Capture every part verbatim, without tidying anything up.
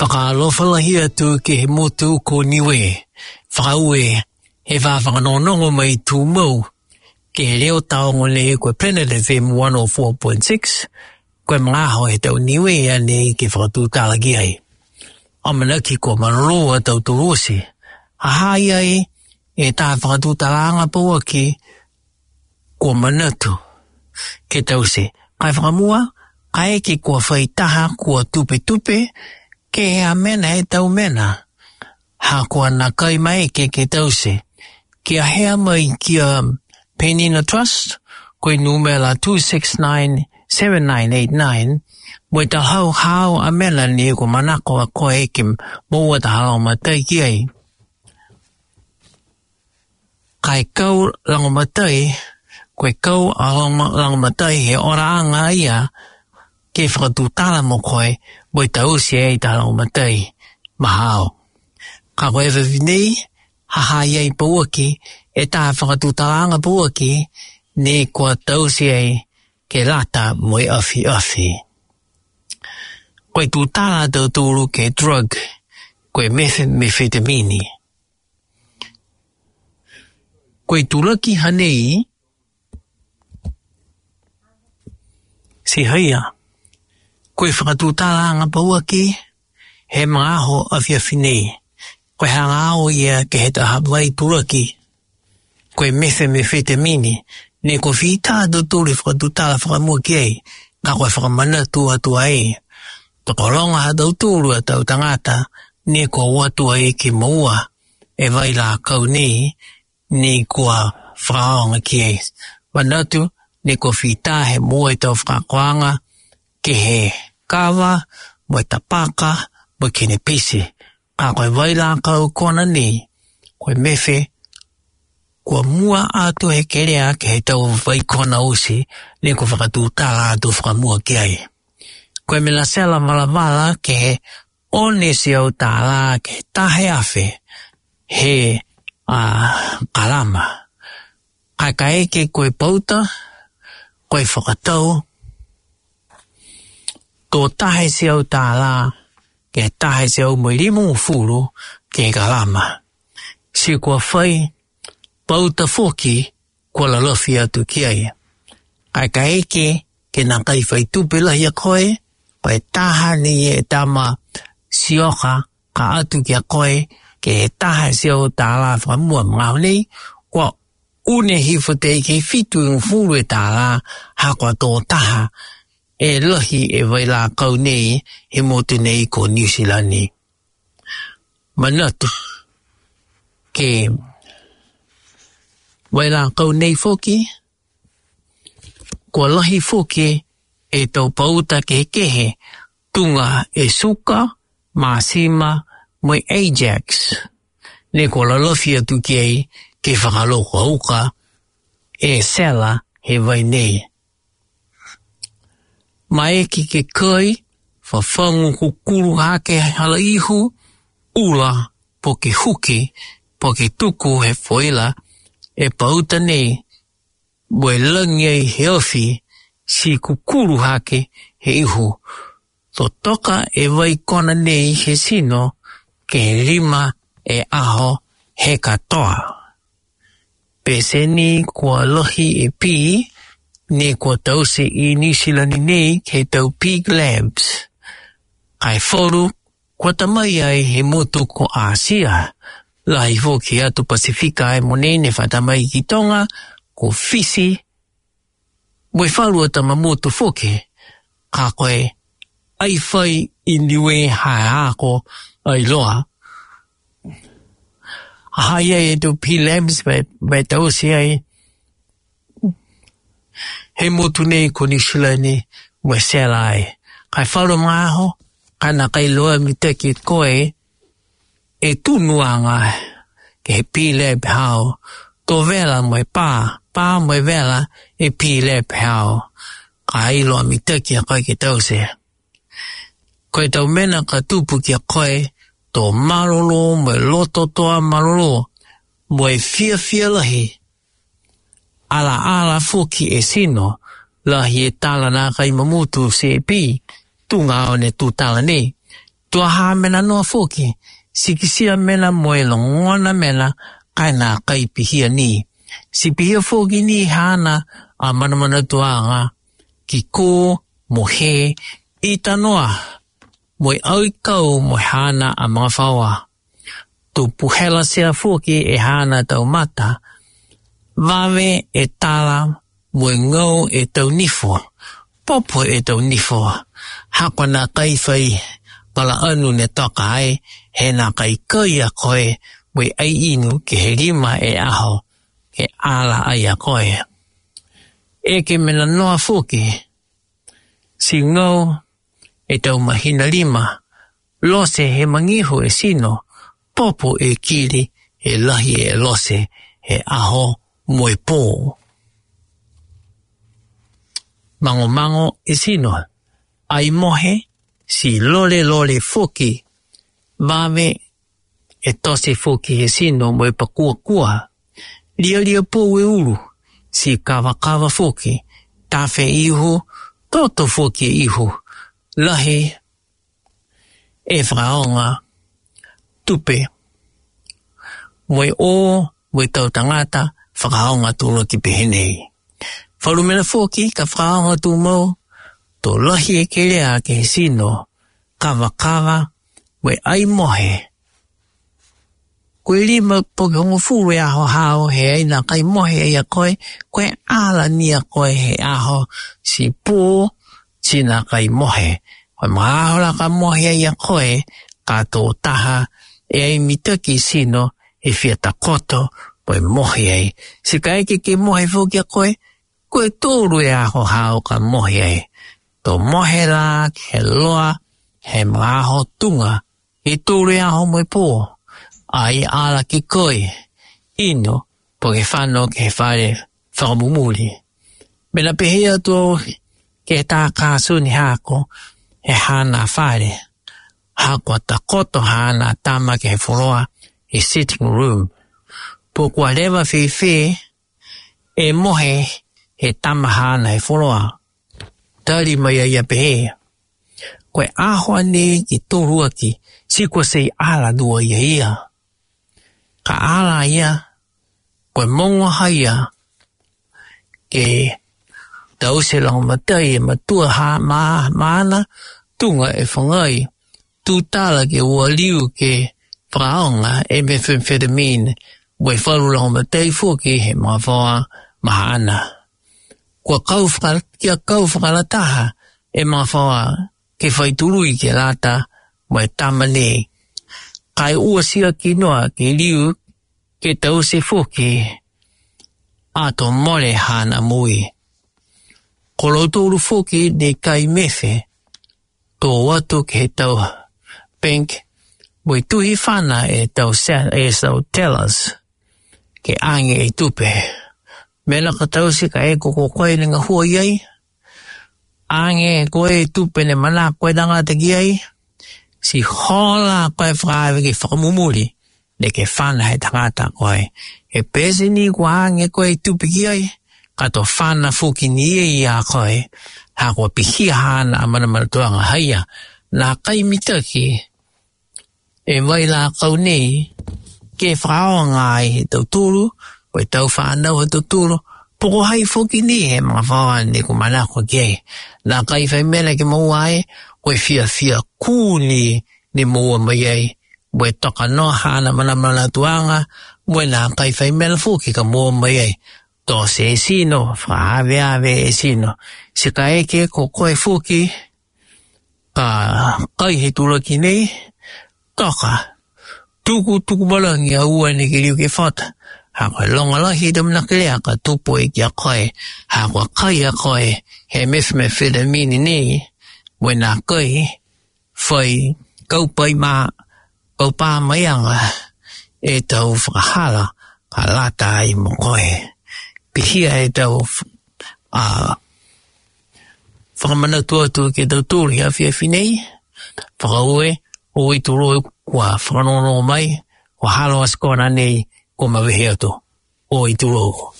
Fakaalofa lahi atu ki he motu ko Niue. Fakaaue he fafanongonongo mai Tumau ki he leo taongo nei ko e Planet F M one oh four point six, ko e magaaho ʻetau Niue ʻanenai ke fakatutala ki ai. ʻAmanaki kuo mālōlō ʻa tautolu ʻosi. Hahai ai e taha fakatutalanga pauaki kuo manatu ke tau ʻosi. Kae fakamua, kae ke kuo fai taha kuo tupetupe, ke ʻa mena ʻetau mena. Ha kuo nākai maʻu ke ke tau ʻosi. Kia hea mai kia Penina Trust, ko e nūmela two six nine seven nine eight nine, mo e tau hau hau ʻa mena ni ko manako ʻa koe ke moua ʻa e lau matai ki ai. Kae kau lau matai, ko e kau ʻa lau ma-, lau matai he ʻoraʻanga ia ke fakatutala mo koe, mo e tau ʻosi ai ʻa e lau matai, mahalo. Ka ko e efiafi nei, hahai ai pauaki, e taha fakatutalanga pauaki, ne kuo tau ʻosi ai ke lata mo e ʻafiʻafi. Ko e tutala ʻa tautolu ki he drug, ko e methe-, methamphetamine. Ko e tulaki hanei, si haia. Ko e fakatutalanga pauaki, he magaaho ʻafiʻafi nei. Ko e hanga ʻo ia ke he taha vai tulaki. Ko e methe-, methamphetamine. Ne kuo fita ʻa tautolu fakatutala fakamua ki ai. Ka ko e fakamanatu atu ai. Tokologa ha tautolu ʻa tau tangata. Ne kuo ʻoatu ai ke moua e vai lākau nei, ne kuo fakaʻaonga ki ai. Manatu, ne kuo fita he moua ʻetau fakaakoʻanga, ke he kava, mo e tapaka, mo e kenepisi. Ka ko e vai lākau kona nei, ko e methe, kuo mua atu he kelea ke he tau vai kona ʻosi, ne kuo fakatutala atu fakamua ki ai. Ko e meʻa sela valavala ke he ʻo ne siʻi ʻo tālā ke taha e afe he, ʻa, kalama. Kae ʻikai ke ko e pauta, ko e fakatau, tō taha e siʻi ʻo tālā ke taha e siʻi ʻo mo e limongofulu ke kalama. Siʻi kuo fai pauta foki kuo lalafi atu ki ai. Kae ʻikai ke, ke nākai fai tupe lahi ʻa koe, ko e taha ni e tama sioka ka ʻoatu kia koe, ke taha e siʻi ʻo tālā fakamua magaaho nei, kuo ʻunu hifo teʻeki fitu ʻi ngofulu e tālā, ha kuo tō taha e lahi e vai lākau nei, he motu nei ko New Zealand ni. Manatu, ke vai lākau nei foki, kuo lahi foki e tau pauta kehekehe, tuʻunga e suka, māsima, mo e Ajax. Ne kuo lalafi atu ki ai ke fakaloko uka e sela he vai nei. Maeke ke kai, fafangu kukulu hake hala ihu, ʻula, po ke huki, po ke tuku he foila, e pauta nei, mo e langi ai he ofi, siʻi kukulu hake he ihu. Totoka e vai kona nei he sino, ke lima e ʻaho he katoa. Peseni kuo lahi e pī, ne kuo tau ʻosi ʻi New Zealand nei ke tau pig labs. Kae falu, kuo tamai ai he motu ko ʻAsia. Lahi foki atu Pasifika ʻa e moʻoni ne fakatamai ki Tonga, ko Fisi, mo e falu ʻa tama motu foki, ka ko e ʻai fai ʻi Niue ha ako ʻa e loa. Hahai ai e tau pig labs mo e, mo e tau ʻosi ai he motu nei ko New Zealand ni mo e sela ai. Kae falu magaaho, ka nākai loa mitaki koe, e tunuʻanga ke he pig lab hao, tō vela mo e pā, pā mo e vela e pig lab hao. Ka ʻiloa mitaki ʻa koe ke tau ʻosi. Ko e tau mena ka tupu kia koe, tō mālōlō mo e loto toa mālōlō, mo e fiefia lahi, ʻalaʻala foki e sino, lahi e tala nākai mamutu siʻi pī, tuʻunga ʻo ne tutala nei. Tuʻa hā mena noa foki, sikisia mena mo e longona mena, kae naʻe ʻikai pihia ni. Siʻi pihia foki ni haʻana ʻa manamanatuʻanga, ki kō mo hē, ʻita noa, mo e ʻaukau mo haʻana ʻa magafaoa. Tupu hela sea foki ʻe haʻana taumata, vave ʻetau tala, mo e ngau ʻetau nifo, popo ʻetau nifo, hā ko ena ʻikai fai palaʻanu ne toka ai, he naʻe ʻikai kai ʻa koe, mo e ʻai inu ki he lima ʻe ʻaho, ke ʻala ai ʻa koe. ʻEke mena noa foki, siʻi ngau ʻetau mahina lima, lose he mangihu e sino, popo e kili, ʻe lahi e lose he ʻaho mo e pō. Mangomango e sino, ʻai mohe, siʻi lolelole foki, vave ʻe tosi foki he sino mo e pakuakua. Lialia pou e ʻulu, siʻi kavakava foki, tafe ihu, toto foki e ihu, lahi e fakaʻaonga tupe, mo e ʻō, mo e tau tangata, fakaʻaonga tuʻuloki pehē nei. Falu mena foki, ka fakaʻaonga tuʻumou, tō lahi e kelea ki he sino, kavakava, mo e ʻai mohe. Ko e lima po ke hongofulu e ʻaho hao, he ʻai naʻe ʻikai mohe ai ʻa koe, ko e ʻala ni ʻa koe he ʻaho, siʻi pō, siʻi naʻe ʻikai mohe. Ko e maʻa ʻaho lahi ka mohe ai ʻa koe, ka tō taha, ʻe ʻai mitaki sino, ʻe fie takoto, mo e mohe ai. Siʻi kae ʻikai ke mohe foki ʻa koe, ko e tolu e ʻaho hao ka mohe ai. Tō mohe lā ki he loa, he maʻa ʻaho tuʻunga, ʻe tolu e ʻaho mo e pō, ʻai ʻala ki koe, inu, po ke fano ki he fale fakamumuli. Mena pehē atu ki he tā kāsuni hako, he haʻana fale, hako takoto haʻana tama ki he foloa, he sitting room. Pea kuo leva fēfē, ʻe mohe he tama haʻana he foloa. Tali mai ʻa ia pehē, ko e ʻaho ʻanai ki tolu ʻaki, siʻi kuo sei ʻala lua ia ia. Ka ʻala ia, ko e mongo haia, ke tau se lango matai e matua ha ma, maʻana, tuʻunga e fangai, tūtala ke ua liu ke fakaʻaonga e methamphetamine, mo e falu lango matai foki he magafaoa maʻana. Kuo kau faka-, kia kau fakalataha e magafaoa ke fai tului ke lata mo e tama ni. Kae ua siʻaki noa ke liu ke tau se foki ʻato mole haʻana moʻui. Ko loutolu foki ne ʻikai mefe, tō atu ki he tau bank, mo e tuhi fana e tau se-, e tau tellers, ke ʻange e tupe. Mena ka tau se ka ʻe ko ko koe ne ngahua ai, ʻange ko e tupe ne manako e tangata ki ai, siʻi hola ko e fakaʻave ke fakamumuli, ne ke fana he tangata ko ē. He pēseni kuo ʻange ko e tupe ki ai, ka tō fana foki ni ʻe ia ko ē, hā kuo pihia haʻana ʻa manamanatuʻanga haia, naʻe ʻikai mitaki, e vai lākau nei, ke fakaʻaonga ai he tautolu, ko e tau fānau he tautolu, pe ko hai foki ni he magafaoa ne kuo manako ki ai. Naʻe ʻikai fai mena ke maua ai, ko e fiefia kū ni ne maua mai ai, mo e toka noa haʻana manamanatuʻanga, mo e naʻe ʻikai fai mena foki ka maua mai ai. Tō se sino, fakaʻaveʻave e sino. Siʻi kae ʻeke ko koe foki, ka kai he tuʻuloki nei, toka. Tuku, tuku malangi ʻa ua ne ke liu ke fata. Hā ko e longo lahi te mena kelea ka tupu ai kia koe. Hā ko e kai ʻa koe, he methamphetamine nei, mo e naʻe ʻikai fai kaupai mā, kaupā mai anga e tau fakahala ka lata ai mo koe. Pihia e tau f-, ʻa, fakamanatu atu ke tau tuli ha fiefia nei, fakaaue, ʻoitulou kuo fakanonga mai, ko Halo ʻa Sikona nei, kuo mavehe atu. ʻOitulou.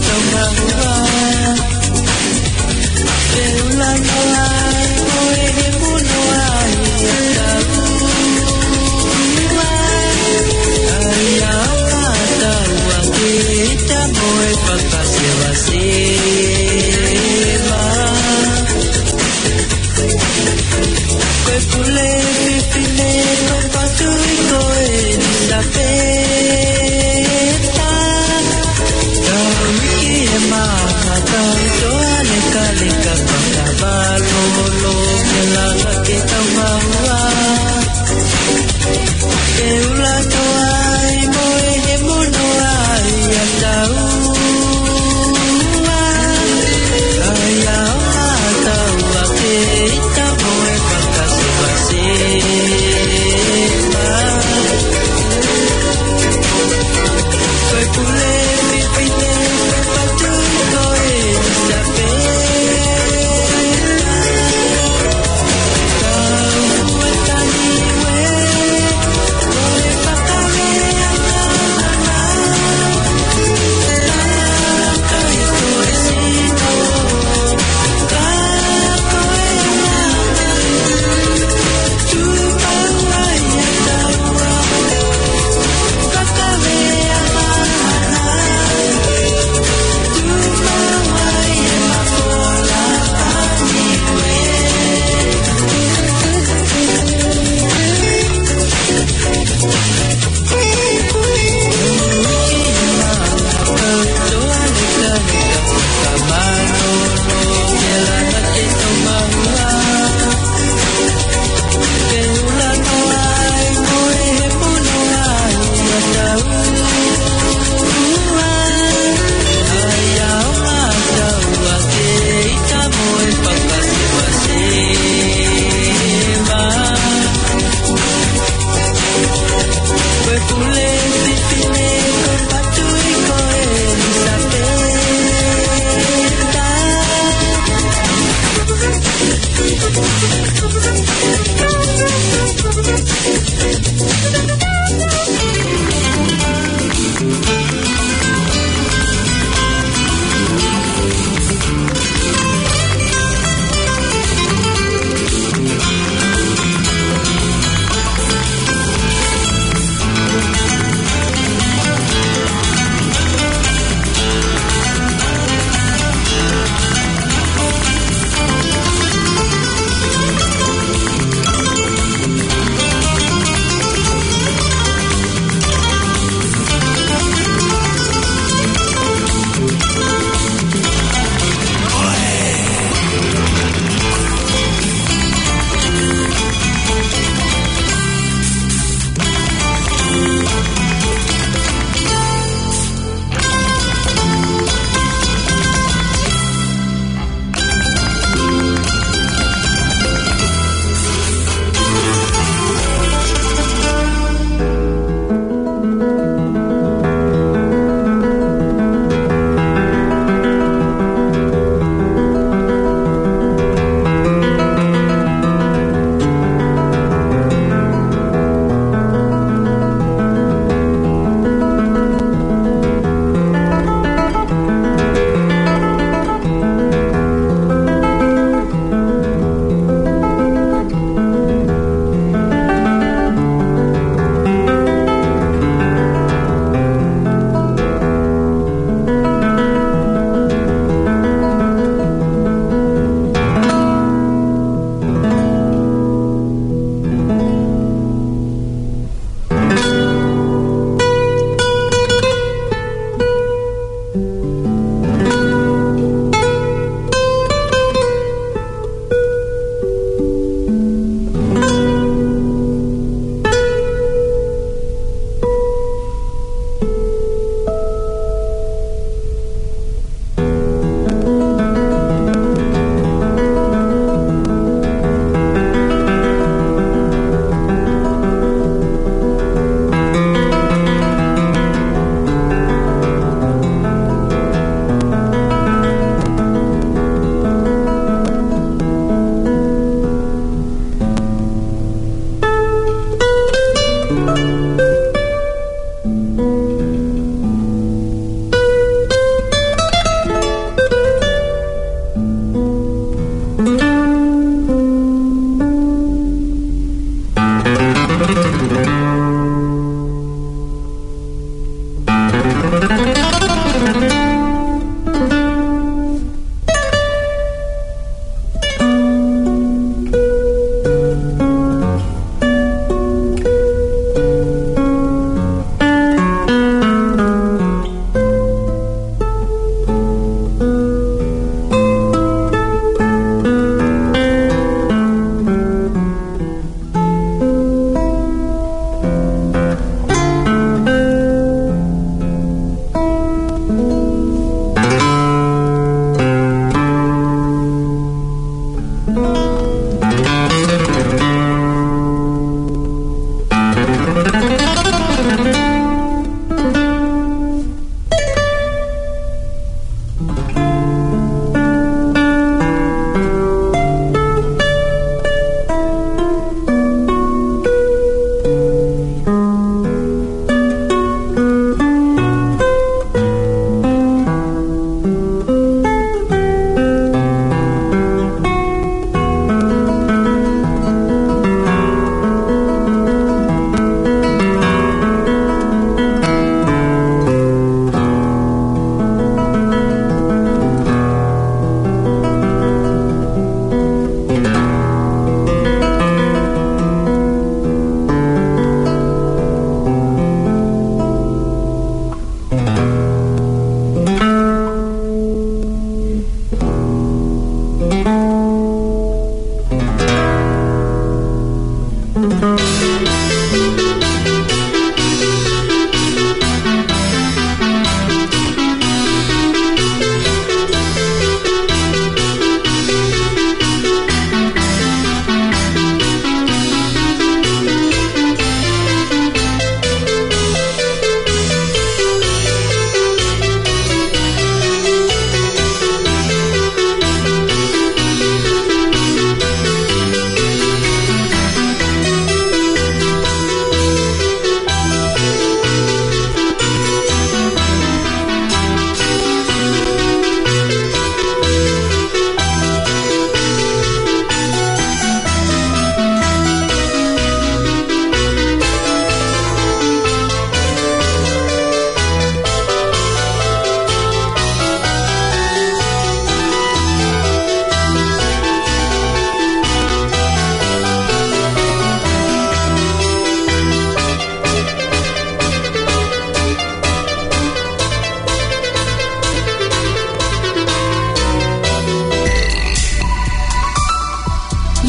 Tau mahua, ke ula noa ai, mo e he mono ai, a tau ua. Ai a o a tau a ke ita mo e fakasevaseva. Ko e pule fefine ko Patuʻi ko ʻElisapeta. Tau iki e maka tau toa lekaleka pata valolo ke lava ke tau mahua. Ke ula toa ai mo e he mono ai a tau ua. Ai a o a tau a ke ita mo e fakasevaseva. Ko e pule fefine ko Patuʻi ko ʻElisapeta. Tau ua tani ue, ko e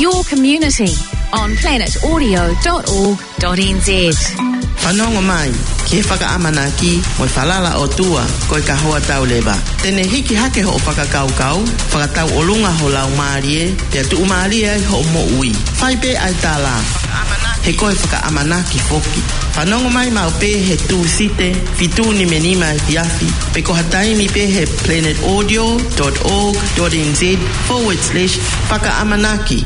Your community on planet audio dot org dot N Z. Fanongo mai ki he fakaʻamanaki mo e falala ʻOtua ko e kahoa tau leva. Te ne hiki hake hoʻo fakakaukau, fakatauʻolunga ho laumālie, pea tuʻumālie ai hoʻo moʻui. Fai pē ʻa e tala, he ko e fakaʻamanaki foki. Fanongo mai maʻu pē he Tūsite, fitu nimanima efiafi, pe ko ha taimi pē he planet audio dot org dot N Z forward slash fakaʻamanaki.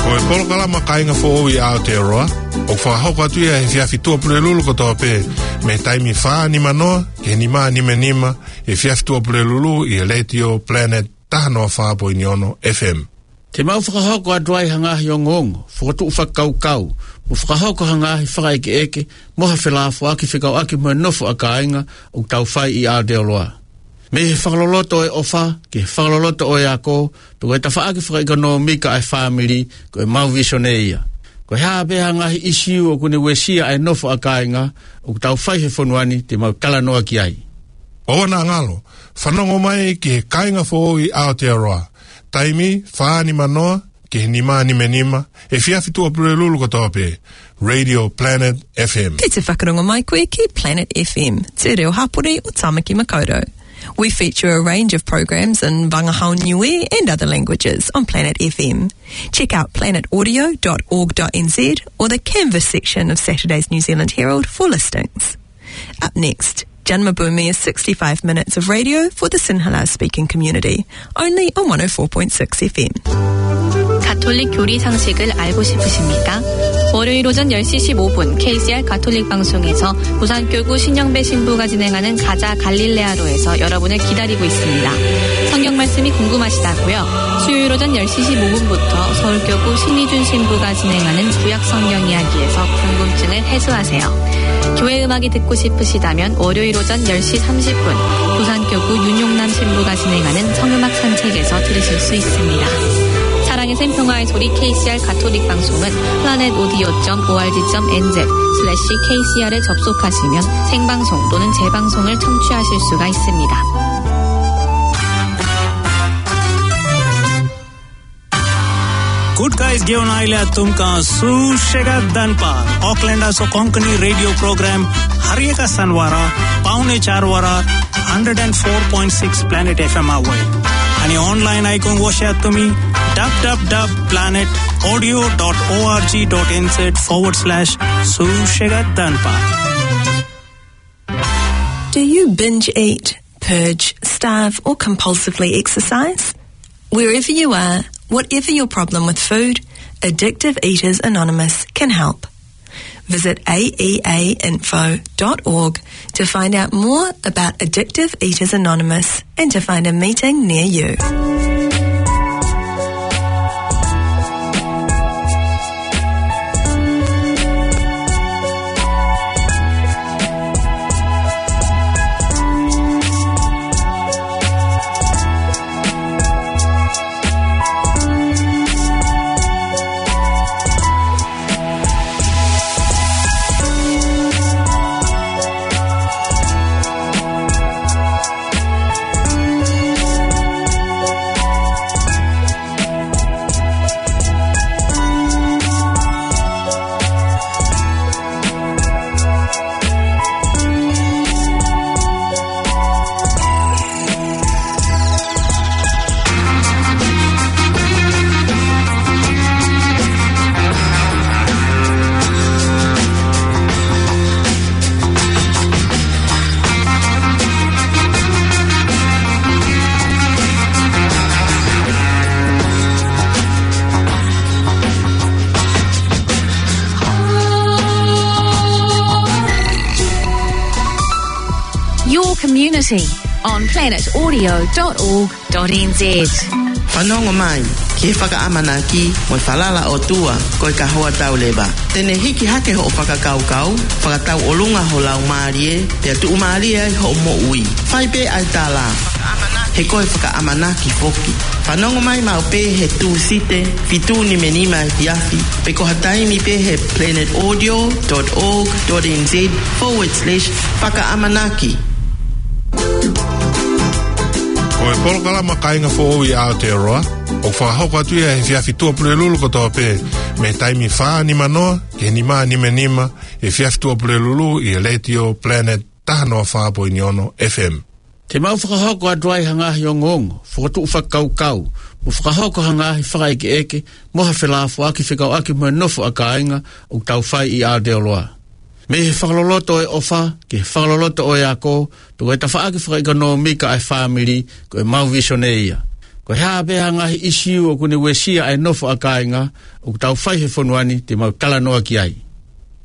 Ko e polokalama Kāinga Foʻou ʻi Aotearoa, ʻoku fakahoko atu ia he efiafi Tuʻapulelulu kotoa pē, mei he taimi fā nimanoa ki he nima nimanima efiafi Tuʻapulelulu ʻi he Letiō Planet taha noa fā poini ono F M. Te mau fakahoko atu ai ha ngaahi ongoongo, fokotuʻu fakakaukau, mo fakahoko ha ngaahi fakaʻekeʻeke, mo ha felāfoaki fekauʻaki mo e nofo ʻa kāinga ʻoku tau fai ʻi Aotearoa. Mei he fakaloloto ʻo e ʻofa, ki he fakaloloto ʻo e ako, pe ko e tafaʻaki fakaʻekonōmika ʻa e fāmili, ko e mau visone ia. Ko e hā pē ha ngaahi ʻīsiu ʻoku ne uesia ʻa e nofo ʻa kāinga ʻoku tau fai he fonua ni, te mau talanoa ki ai. ʻOua naʻa ngalo, fanongo mai ki he Kāinga Foʻou ʻi Aotearoa. Taimi, fā nimanoa ki he nima nimanima efiafi Tuʻapulelulu kotoa pē, Radio Planet F M. Kei te whakarongo mai koe ki Planet F M, te reo Hapori ʻo Tāmaki Makaurau. We feature a range of programs in Vangahau, Niue and other languages on Planet F M. Check out planet audio dot org dot N Z or the Canvas section of Saturday's New Zealand Herald for listings. Up next, Jan Mabumi is sixty-five minutes of radio for the Sinhala speaking community, only on one oh four point six F M. 가톨릭 교리 상식을 알고 싶으십니까? 월요일 오전 열 시 십오 분 K C R 가톨릭 방송에서 부산교구 신영배 신부가 진행하는 가자 갈릴레아로에서 여러분을 기다리고 있습니다. 성경 말씀이 궁금하시다고요? 수요일 오전 열 시 십오 분부터 서울교구 신희준 신부가 진행하는 구약 성경 이야기에서 궁금증을 해소하세요. 교회 음악이 듣고 싶으시다면 월요일 오전 열 시 삼십 분 부산교구 윤용남 신부가 진행하는 성음악 산책에서 들으실 수 있습니다. 사랑의 샘, 평화의 소리 K C R 가톨릭 방송은 planet audio dot org dot N Z slash K C R에 접속하시면 생방송 또는 재방송을 청취하실 수가 있습니다. Good guys, ʻio, ʻoku ʻikai ʻaonga ʻa e tuʻunga sū sega danpa. Auckland ʻa e Sō Konekini radio program, Harieka Sanwara, Paune Charwara, hundred and four point six Planet F M Aue. ʻAni online ai kong woshe atu mi, w w w dot planet audio dot org dot N Z forward slash sū sega danpa. Do you binge eat, purge, starve, or compulsively exercise? Wherever you are, whatever your problem with food, Addictive Eaters Anonymous can help. Visit A E A info dot org to find out more about Addictive Eaters Anonymous and to find a meeting near you. Your community on planet audio dot org dot N Z. Fanongo mai ki he fakaʻamanaki mo e falala ʻOtua ko e kahoa tau leva. Te ne hiki hake hoʻo fakakaukau, fakatau ʻolunga ho laumālie, pea tuʻumālie ai hoʻo moʻui. Fai pē ʻa e tala, he ko e fakaʻamanaki foki. Fanongo mai maʻu pē he Tūsite, fitu nimanima efiafi, pe ko ha taimi pē he planet audio dot org dot N Z forward slash fakaʻamanaki. Ko e polokalama Kāinga Foʻou ʻi Aotearoa, ʻoku fakahoko atu ia he efiafi Tuʻapulelulu kotoa pē, mei he taimi fā nima noa ki he nima nimanima, efiafi Tuʻapulelulu ʻi he Letiō Planet taha noa fā poini ono F M. Te mau fakahoko atu ai ha ngaahi ongoongo, fokotuʻu fakakaukau, mo fakahoko ha ngaahi fakaʻekeʻeke, mo ha felāfoaki fekauʻaki mo e nofo ʻa kāinga ʻoku tau fai ʻi Aotearoa. Mei he fakaloloto ʻo e ʻofa, ki he fakaloloto ʻo e ako, pea ko e tafaʻaki fakaʻekonōmika ʻa e fāmili, ko e mau visone ia. Ko e hā pē ha ngaahi ʻisiū ʻoku ne uesia ʻa e nofo ʻa kāinga ʻoku tau fai he fonua ni, te mau talanoa ki ai.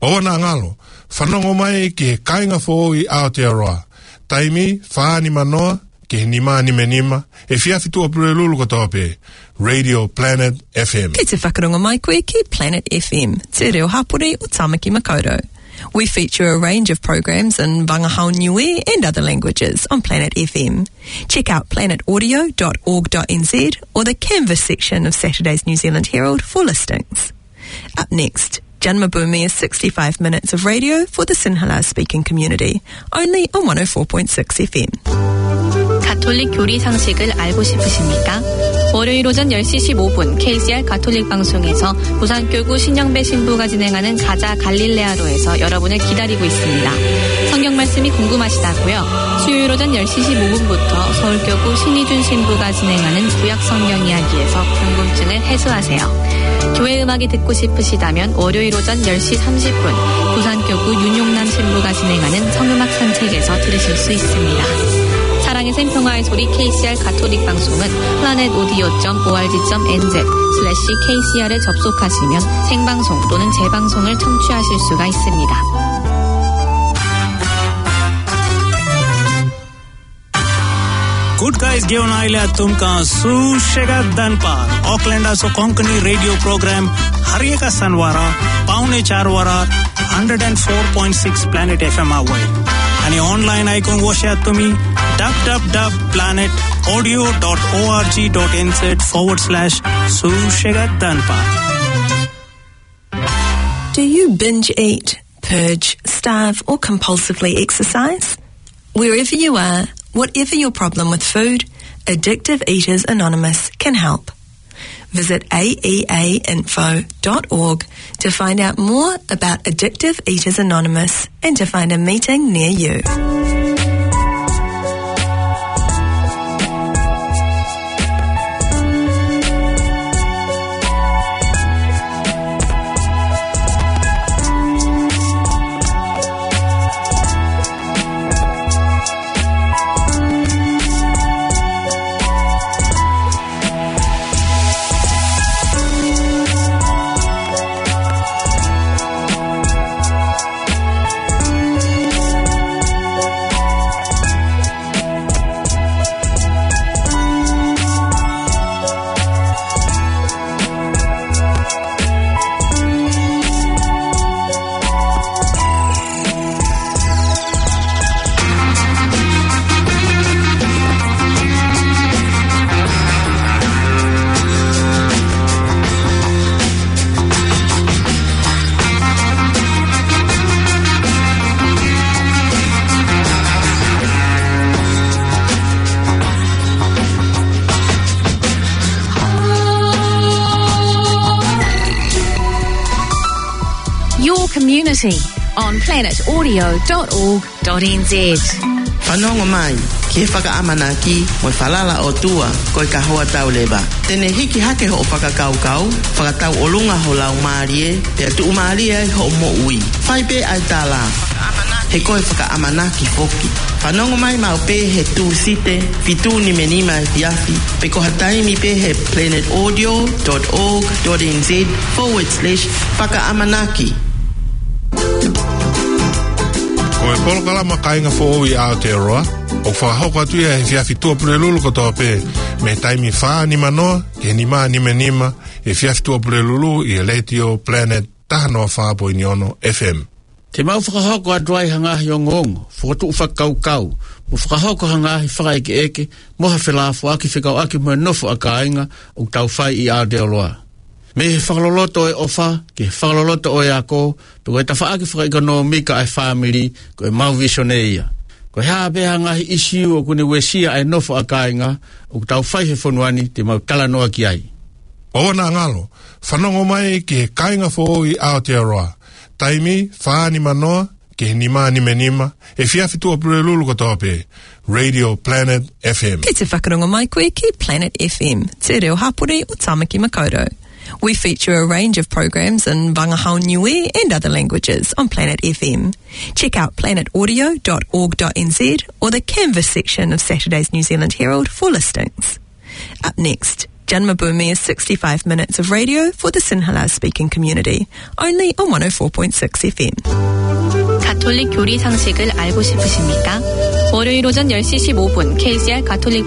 ʻOua naʻa ngalo, fanongo mai ki he Kāinga Foʻou ʻi Aotearoa. Taimi, fā nima noa ki he nima nimanima, efiafi Tuʻapulelulu kotoa pē, Radio Planet F M. Kei te whakarongo mai koe ki Planet F M, Te Reo Hapori ʻo Tāmaki Makaurau. We feature a range of programs in Vangahau Niue and other languages on Planet F M. Check out planet audio dot org dot N Z or the Canvas section of Saturday's New Zealand Herald for listings. Up next, Janmaboomi is sixty-five minutes of radio for the Sinhala speaking community, only on one oh four point six F M. 가톨릭 교리 상식을 알고 싶으십니까? 월요일 오전 열 시 십오 분 K C R 가톨릭 방송에서 부산교구 신영배 신부가 진행하는 가자 갈릴레아로에서 여러분을 기다리고 있습니다. 성경 말씀이 궁금하시다고요? 수요일 오전 열 시 십오 분부터 서울교구 신희준 신부가 진행하는 구약 성경 이야기에서 궁금증을 해소하세요. 교회 음악이 듣고 싶으시다면 월요일 오전 열 시 삼십 분 부산교구 윤용남 신부가 진행하는 성음악 산책에서 들으실 수 있습니다. 사랑의 샘, 평화의 소리 K C R 가톨릭 방송은 planet audio dot org dot N Z slash K C R에 접속하시면 생방송 또는 재방송을 청취하실 수가 있습니다. Good guys, ʻoku ʻiate kitautolu ʻa e Sū Sega Danpa, ʻOkelendi ʻa e Sō Konkoni Radio Program, hariʻi ʻe he Saniwara, pea mo e Chāruara, hundred and four point six Planet F M Hawaii. ʻA e online ʻa e kong website ʻa e Sō Konkoni, w w w dot planet audio dot org dot N Z forward slash Sū Sega Danpa. Do you binge eat, purge, starve, or compulsively exercise? Wherever you are, whatever your problem with food, Addictive Eaters Anonymous can help. Visit A E A info dot org to find out more about Addictive Eaters Anonymous and to find a meeting near you. on planet audio dot org dot N Z. Fanongo mai ki he fakaʻamanaki mo e falala ʻOtua ko e kahoa tau leva. Te ne hiki hake hoʻo fakakaukau, fakatauʻolunga ho laumālie, pea tuʻumālie ai hoʻo moʻui. Fai pē ʻa e tala, he ko e fakaʻamanaki foki. Fanongo mai maʻu pē he Tūsite, fitu nimanima efiafi, pe ko ha taimi pē he planet audio dot org dot N Z forward slash fakaʻamanaki. Ko e polokalama Kāinga Foʻou ʻi Aotearoa, ʻoku fakahoko atu ia he efiafi Tuʻapulelulu kotoa pē, mei he taimi fā nimanoa ki he nima nimanima, he efiafi Tuʻapulelulu ʻi he Letiō Planet taha noa fā poini ono F M. Te mau fakahoko atu ai ha ngaahi ongoongo, fokotuʻu fakakaukau, mo fakahoko ha ngaahi fakaʻekeʻeke, mo ha felāfoaki fekauʻaki mo e nofo ʻa kāinga ʻoku tau fai ʻi Aotearoa. Mei he fakaloloto ʻo e ʻofa, ki he fakaloloto ʻo e ako, pe ko e tafaʻaki fakaʻekonōmika ʻa e fāmili, ko e mau visone ia. Ko e hā pē ha ngaahi ʻisiū ʻoku ne uesia ʻa e nofo ʻa kāinga ʻoku tau fai he fonua ni, te mau talanoa ki ai. ʻOua naʻa ngalo, fanongo mai ki he Kāinga Foʻou ʻi Aotearoa. Taimi, fā nimanoa ki he nima nimanima, efiafi Tuʻapulelulu kotoa pē. Radio Planet F M. Kei te whakarongo mai koe ki Planet F M, Te Reo Hapori ʻo Tāmaki Makaurau. We feature a range of programs in Vangahau Niue and other languages on Planet F M. Check out planet audio dot org dot N Z or the Canvas section of Saturday's New Zealand Herald for listings. Up next, Jan Mabumi's sixty-five minutes of radio for the Sinhala speaking community, only on one oh four point six F M. 가톨릭 교리 상식을 알고 싶으십니까? 월요일 오전 열 시 십오 분 K C R 가톨릭